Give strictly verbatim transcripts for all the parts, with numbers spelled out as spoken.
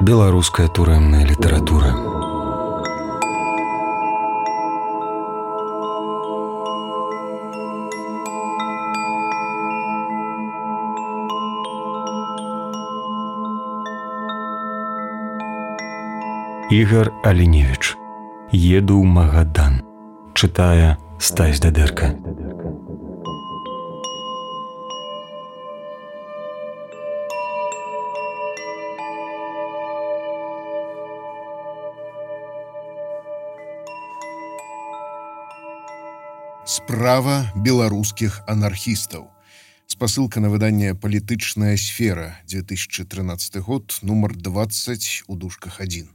Беларуская турэмная літаратура. Ігар Аліневіч. Еду ў Магадан. Чытае Стась Дадэрка. Справа беларускіх анархістаў. Спасылка на выданне «Палітычная сфера», две тысячи тринадцатый год, нумар двадцать у дужках один.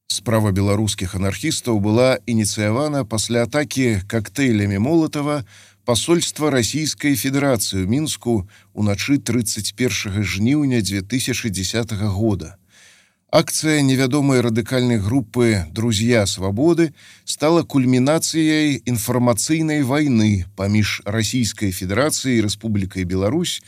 Справа беларускіх анархістаў была ініцыявана пасля атакі коктейлямі Молатава пасольства Расійскай Федэрацыі ў Мінску ўначы тридцать первого жніўня две тысячи десятого года. Акция невядомой радыкальной группы «Друзья свободы» стала кульминацией информационной войны поміж Российской Федерацией и Республикой Беларусь,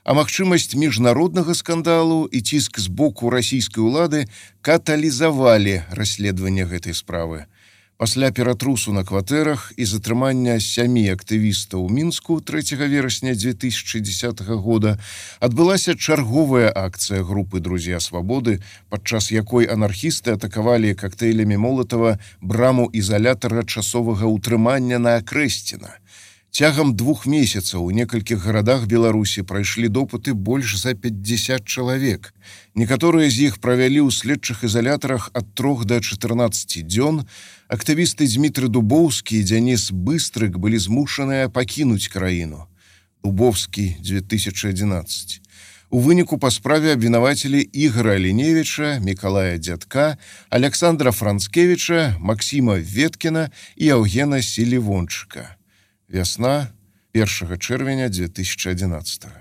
а магчымасць міжнароднага скандалу і ціск з боку расійскай улады каталізавалі расследаванне гэтай справы. Пасля ператрусу на кватэрах і затрымання сямі актывістаў у Мінску трэцяга верасня две тысячи десятого года адбылася чарговая акцыя групы «Друзья свободы», падчас якой анархісты атакавалі коктейлямі Молатава браму ізалятара часовага ўтрымання на Акрэсціна. Цягам двух месяцаў у некалькіх гарадах Беларусі прайшлі допыты больш за пятьдесят чалавек. Некаторыя з іх правялі ў следчых ізалятарах ад трох да чатырнаццаці дзён. Актывісты Дмітрый Дубоўскі і Дзяніс Быстрык былі змушаныя пакінуць краіну. Дубовскі, две тысячи одиннадцать. У выніку па справе абвінавацілі Ігара Аліневіча, Мікалая Дзядка, Александра Францкевіча, Максима Веткіна і Яўгена Селівончыка. Вясна первого чэрвеня две тысячи одиннадцатого.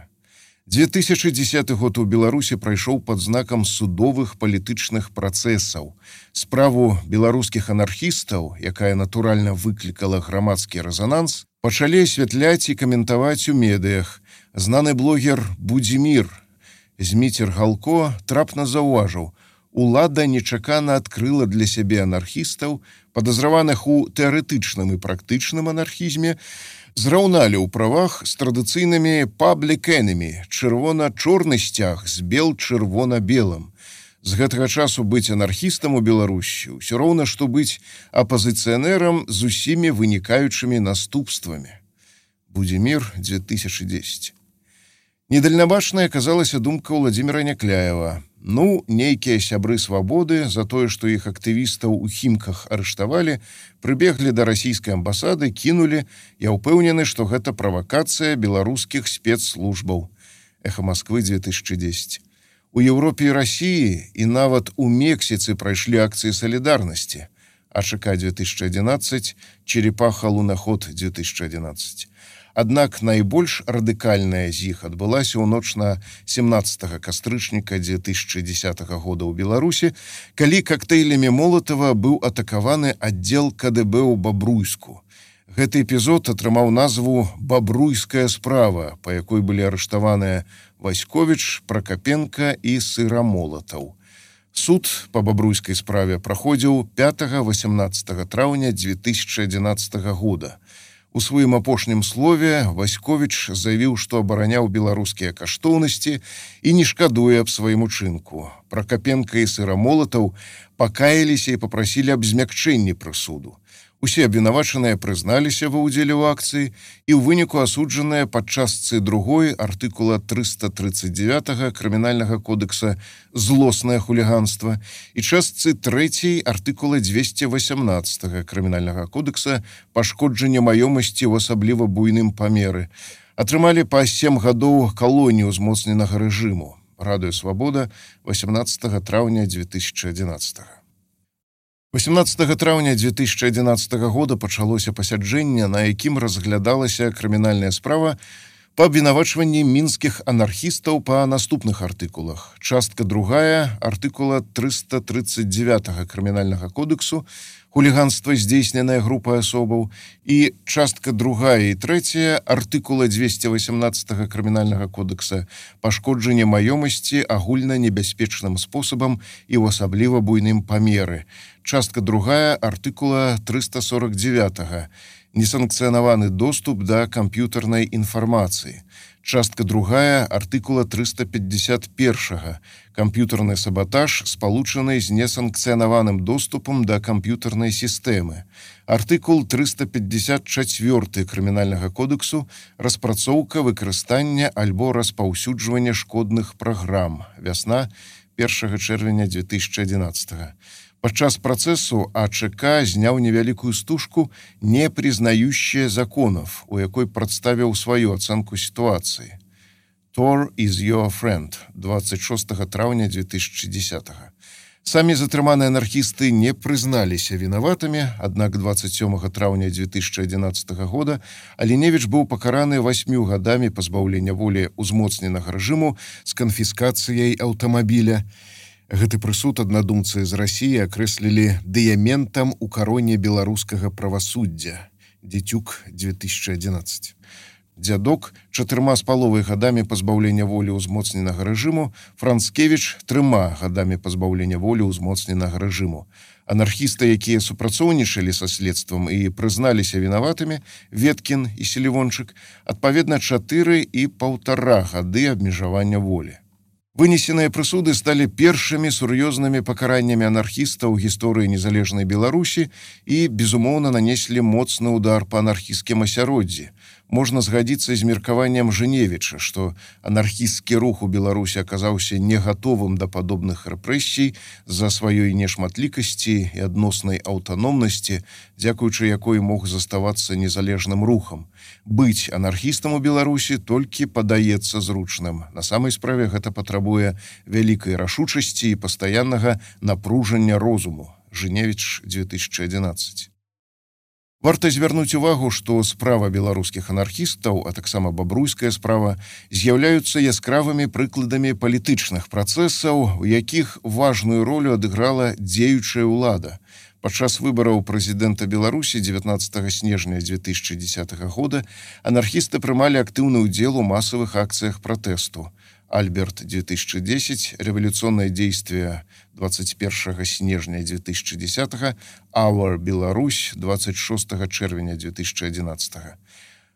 две тысячи десятый год у Беларусі прайшоў пад знакам судовых палітычных працэсаў. Справу беларускіх анархістаў, якая натуральна выклікала грамадскі рэзананс, пачалі асвятляць і каментаваць у медыях. Знаны блогер Будзімір Зміцер Галко трапна заўважыў: улада нечакана адкрыла для сябе анархістаў, падазраваных у тэарэтычным і практычным анархізме, зраўналі ў правах з традыцыйнымі public enemy, чырвона-чорны сцяг з бел-чырвона-белым. З гэтага часу быць анархістам у Беларусі ўсё роўна, што быць апазіцыянерам з усімі вынікаючымі наступствамі. Будзімір, две тысячи десять. Недальнабачнай аказалася думка Владимира Някляева. Ну, нейкія сябры свабоды за тое, што іх актывістаў у Хімках арыштавалі, прыбеглі да расійскай амбасады, кінулі. Я ўпэўнены, што гэта правакацыя беларускіх спецслужбаў. Эхо Москвы, две тысячи десять. У Еўропе і Расіі і нават у Мексіцы прайшлі акцыі салідарнасці. АШК две тысячи одиннадцать, Черепаха-Лунаход две тысячи одиннадцать. Аднак найбольш радыкальная з іх адбылася ў ноч на семнадцатого кастрычніка две тысячи десятого года ў Беларусі, калі коктейлямі Молатава быў атакаваны аддзел КДБ ў Бабруйску. Гэты эпізод атрымаў назву «Бабруйская справа», па якой былі арыштаваныя Васьковіч, Пракапенка і Сырамолатаў. Суд па бабруйскай справе праходзіў пятого-восемнадцатого траўня две тысячи одиннадцатого года. У сваім апошнім слове Васьковіч заявіў, што абараняў беларускія каштоўнасці і не шкадуе аб сваім учынку. Пракапенка і Сырамолатаў пакаяліся і папрасілі аб змякчэнні прысуду. Усе абвінавачаныя прызналіся ва ўдзеле ў акцыі і ў выніку асуджаныя пад частцы другой артыкула триста тридцать девять крымінальнага кодекса «Злоснае хуліганства» і частцы трэцяй артыкула двести восемнадцать крымінальнага кодекса «Пашкоджанне маёмасці ў асабліва буйным памеры». Атрымалі па сем гадоў калоніі ўзмоцненага рэжыму. Радыё Свабода, восемнадцатого траўня две тысячи одиннадцатого. восемнадцатого траўня две тысячи одиннадцатого года пачалося пасяджэнне, на якім разглядалася крымінальная справа па абвінавачванні мінскіх анархістаў па наступных артыкулах. Частка другая артыкула трыста тридцать девять крымінальнага кодексу хуліганства, здзейсненае групай асобаў, і частка другая і трэцяя артыкула двести восемнадцать крымінальнага кодекса пашкоджанне маёмасці агульна небяспечным спосабам і ў асабліва буйным памеры. Частка другая артыкула триста сорок девять несанкцыянаваны доступ да камп'ютарнай інфармацыі. Частка другая артыкула триста пятьдесят один камп'ютарны саботаж, спалучаны з несанкцыянаваным доступам да камп'ютарнай сістэмы. Артыкул триста пятьдесят четыре крымінальнага кодексу распрацоўка, выкарыстання альбо распаўсюджвання шкодных праграм. Вясна першага чэрвеня две тысячи одиннадцатого. Падчас працэсу АЧК зняў невялікую стужку «Не признающая законов», у якой прадставіў сваю ацэнку сітуацыі. Tor is your friend, двадцать шестого траўня две тысячи десятого. Самі затрыманыя анархісты не прызналіся вінаватымі, аднак двадцать седьмого траўня две тысячи одиннадцатого года Аліневіч быў пакараны восьмю гадамі пазбаўлення волі узмоцненага рэжыму з канфіскацыяй аўтамабіля. Гэты прысуд аднадумцы з Расіі акрэслілі дыяментам у кароне беларускага правасуддзя. Дзецюк две тысячи одиннадцать. Дзядок чатырма з паловай гадамі пазбаўлення волі ўзмоцненага рэжыму, Францкевіч трыма гадамі пазбаўлення волі ўзмоцненага рэжыму. Анархісты, якія супрацоўнічалі са следствам і прызналіся вінаватымі, Веткін і Селівончык, адпаведна чатыры і паўтара гады абмежавання волі. Вынесеныя прысуды сталі першымі сур'ёзнымі пакараннямі анархістаў у гісторыі незалежнай Беларусі і, безумоўна, нанеслі моцны удар па анархісцкім асяроддзі. Можна згадзіцца з меркаваннем Жыневіча, што анархісцкі рух у Беларусі аказаўся не гатовым да падобных рэпрэсій з-за сваёй нешматлікасці і адноснай аўтаномнасці, дзякуючы якой мог заставацца незалежным рухам. Быць анархістам у Беларусі толькі падаецца зручным. На самай справе гэта патрабуе вялікай рашучасці і пастаяннага напружання розуму. Жыневіч две тысячи одиннадцать. Варта звярнуць увагу, што справа беларускіх анархістаў, а таксама бабруйская справа, з'яўляюцца яскравымі прыкладамі палітычных працэсаў, у якіх важную ролю адыграла дзеючая ўлада. Падчас выбараў прэзідэнта Беларусі дзевятнадцатого снежня две тысячи десятого года анархісты прымалі актыўны ўдзел у масавых акцыях пратэсту. Альберт две тысячи десять, революционное действие двадцать первого снежня две тысячи десятого, Our Беларусь двадцать шестого чэрвеня две тысячи одиннадцатого.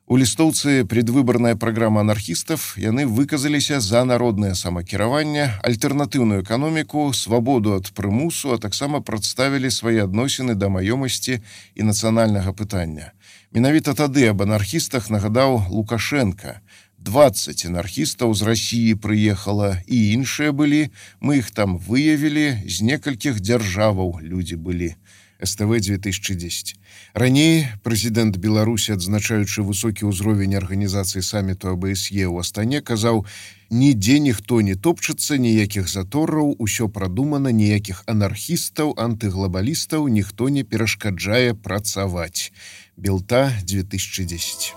У лістоўцы предвыборная программа анархістов, яны выказаліся за народное самакіраванне, альтэрнатыўную эканоміку, свабоду ад прымусу, а таксама прадставілі свае адносіны да маёмасці і нацыянальнага пытання. Менавіта тады аб анархістах нагадаў Лукашенко. двадцать анархістаў з Расіі прыехала, і іншыя былі, мы іх там выявілі, з некалькіх дзяржаваў людзі былі. СТВ две тысячи десять. Раней прэзідэнт Беларусі, адзначаючы высокі ўзровень арганізацыі саміту АБСЕ ў Астане, казаў: «Нідзе ніхто не топчацца, ніякіх затораў, усё прадумана, ніякіх анархістаў, антыглобалістаў, ніхто не перашкаджае працаваць». Белта две тысячи десять.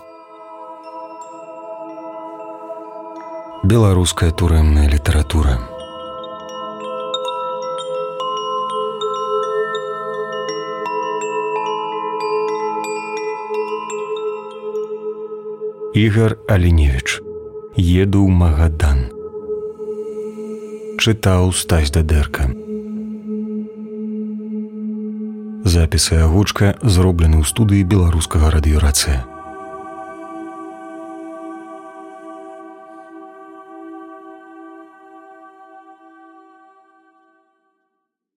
Беларуская турэмная літаратура. Ігар Аліневіч. Еду ў Магадан. Чытаў Стась Дадэрка. Запісы агучка зроблены ў студыі беларускага радыёрацыя.